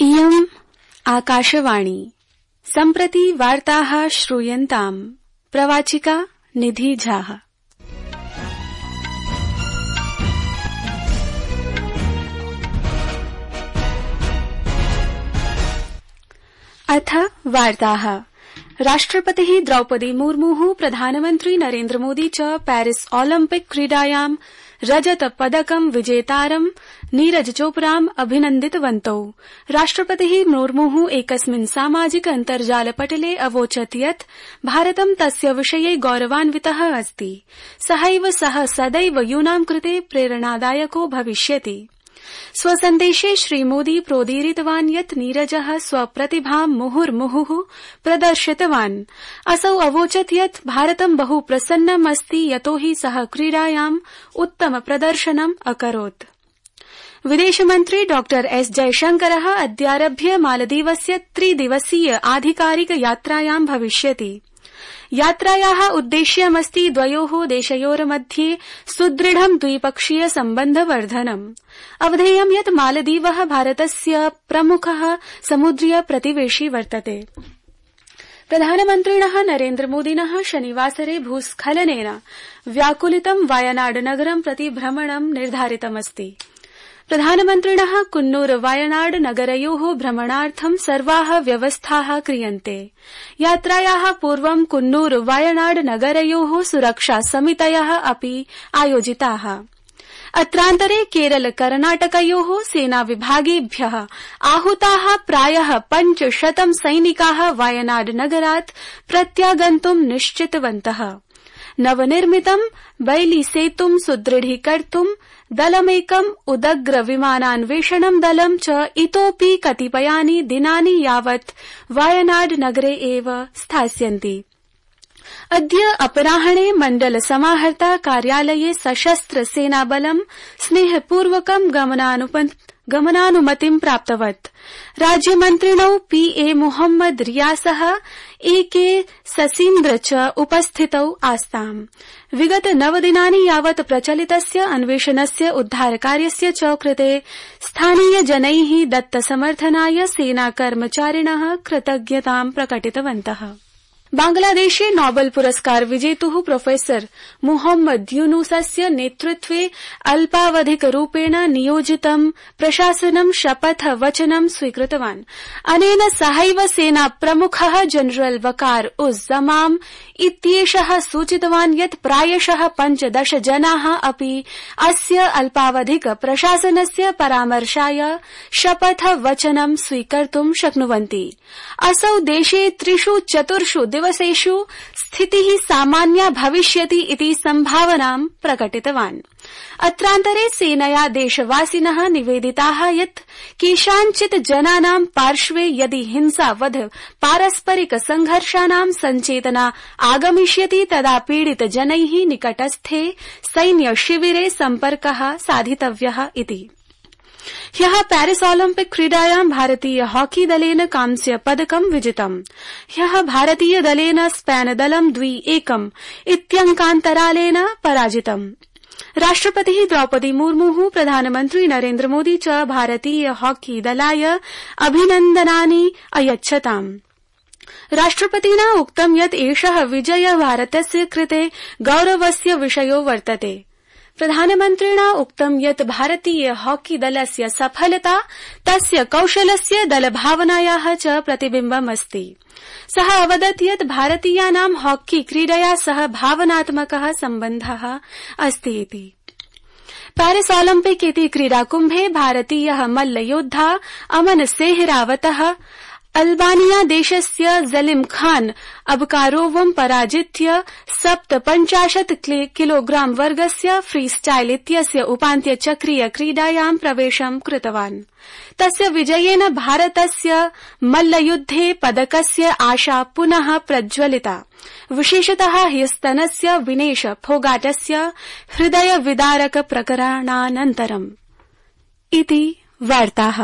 इयम् आकाशवाणी सम्प्रति वार्ताः श्रूयन्ताम् प्रवाचिका निधि झा। अथ वार्ताः। राष्ट्रपतिः द्रौपदी मुर्मुः प्रधानमन्त्री नरेन्द्र मोदी च पेरिस ओलम्पिक क्रीडायां रजत पदकं विजेतारं नीरज चोपड़ाम् अभिनन्दितवन्तौ। राष्ट्रपतिः मुर्मुः एकस्मिन् सामाजिक अन्तर्जालपटले अवोचत् यत् भारतं तस्य विषये गौरवान्वितः अस्ति। सहैव सः सदैव यूनां कृते प्रेरणादायको भविष्यति। स्वसन्देशे श्रीमोदी प्रोदीरितवान् यत् नीरजः स्वप्रतिभां मुहुर्मुहुः प्रदर्शितवान्। असौ अवोचत् यत् भारतं बहु प्रसन्नम् अस्ति यतोहि सः क्रीडायाम् उत्तम प्रदर्शनम् अकरोत्। विदेशमन्त्री डॉ एस जयशंकरः अद्यारभ्य मालदीवस्य 3 दिवसीय आधिकारिक यात्रायां भविष्यति। यात्रायाः उद्देश्यमस्ति द्वयोः देशयोर्मध्ये सुदृढं द्विपक्षीय सम्बन्धवर्धनम्। अवधेयं यत् मालदीवः भारतस्य प्रमुखः समुद्रीय प्रतिवेशी वर्तते। प्रधानमन्त्रिणः नरेन्द्र मोदिनः शनिवासरे भूस्खलनेन व्याकुलितं वायनाड नगरं प्रति भ्रमणं निर्धारितमस्ति। प्रधानमन्त्रिणः कुन्नूर वायनाड नगरयोः भ्रमणार्थं सर्वाः व्यवस्थाः क्रियन्ते। यात्रायाः पूर्वं कुन्नूर वायनाड नगरयोः सुरक्षा समितयः अपि आयोजिताः। अत्रान्तरे केरल कर्णाटकयोः सेनाविभागेभ्यः आहूताः प्रायः 500 सैनिकाः वायनाड नगरात् प्रत्यागन्तुं निश्चितवन्तः। नवनिर्मितं बैली सेतुं सुदृढीकर्तुं दलमेकम् उदग्र विमानान्वेषणं दलं च इतोऽपि कतिपयानि दिनानि यावत् वायनाड नगरे एव स्थास्यन्ति। अद्य अपराह्णे मण्डल समाहर्ता कार्यालये सशस्त्र सेनाबलं स्नेहपूर्वकं गमनानुमतिं प्राप्तवत्। राज्यमन्त्रिणौ पीए मोहम्मद रियासः एके ससीन्द्र च उपस्थितौ आस्ताम्। विगत 9 दिनानि यावत् प्रचलितस्य अन्वेषणस्य उद्धारकार्यस्य च कृते स्थानीयजनैः दत्तसमर्थनाय सेनाकर्मचारिणः कृतज्ञतां प्रकटितवन्तः। बांग्लादेशे नोबेल पुरस्कार विजेतुः प्रोफेसर मोहम्मद यूनुसस्य नेतृत्वे अल्पावधिकरूपेण नियोजितं प्रशासनं शपथ वचनं स्वीकृतवान्। अनेन सहैव सेना प्रमुखः जनरल वकार उज जमाम इत्येषः सूचितवान् यत् प्रायशः 15 जनाः अपि अस्य अल्पावधिक प्रशासनस्य परामर्शाय शपथ वचनं स्वीकर्तुं शक्नुवन्ति। असौ देशे 3-4 दिवसेषु स्थितिः सामान्या भविष्यति इति सम्भावनां प्रकटितवान्। अत्रान्तरे सेनया देशवासिनः निवेदिताः यत् केषाञ्चित् जनानां पार्श्वे यदि हिंसावध पारस्परिक संघर्षाणां सञ्चेतना आगमिष्यति तदा पीडित जनैः निकटस्थे सैन्य शिविरे सम्पर्कः साधितव्यः इति। ह्यः पेरिस ओलम्पिक क्रीडायां भारतीय हॉकी दलेन कांस्य पदकं विजितम्। ह्यः भारतीय दलेन स्पेन दलं 2-1 इत्यङ्कान्तरालेन पराजितम्। राष्ट्रपतिः द्रौपदी मुर्मुः प्रधानमन्त्री नरेन्द्र मोदी च भारतीय हॉकी दलाय अभिनन्दनानि अयच्छताम्। राष्ट्रपतिना उक्तं यत् एषः विजयः भारतस्य कृते गौरवस्य विषयो वर्तते। प्रधानमन्त्रिणा उक्तं यत् भारतीय हॉकी दलस्य सफलता तस्य कौशलस्य दलभावनायाः च प्रतिबिम्बमस्ति। सः अवदत् यत् भारतीयानां हॉकी क्रीडया सह भावनात्मकः सम्बन्धः अस्ति इति। पेरिस ओलम्पिक इति क्रीडाकुम्भे भारतीयः मल्लयोद्धा अमन सेहरावतः अल्बानिया देशस्य जलिम खान अबकारोवं पराजित्य 57 किलोग्राम वर्गस्य फ्रीस्टाइल इत्यस्य उपान्त्यचक्रीय क्रीडायां प्रवेशं कृतवान्। तस्य विजयेन भारतस्य मल्लयुद्धे पदकस्य आशा पुनः प्रज्वलिता। विशेषतः ह्यस्तनस्य विनेश फोगाटस्य हृदय विदारक प्रकरणानन्तरम्। इति वार्ताः।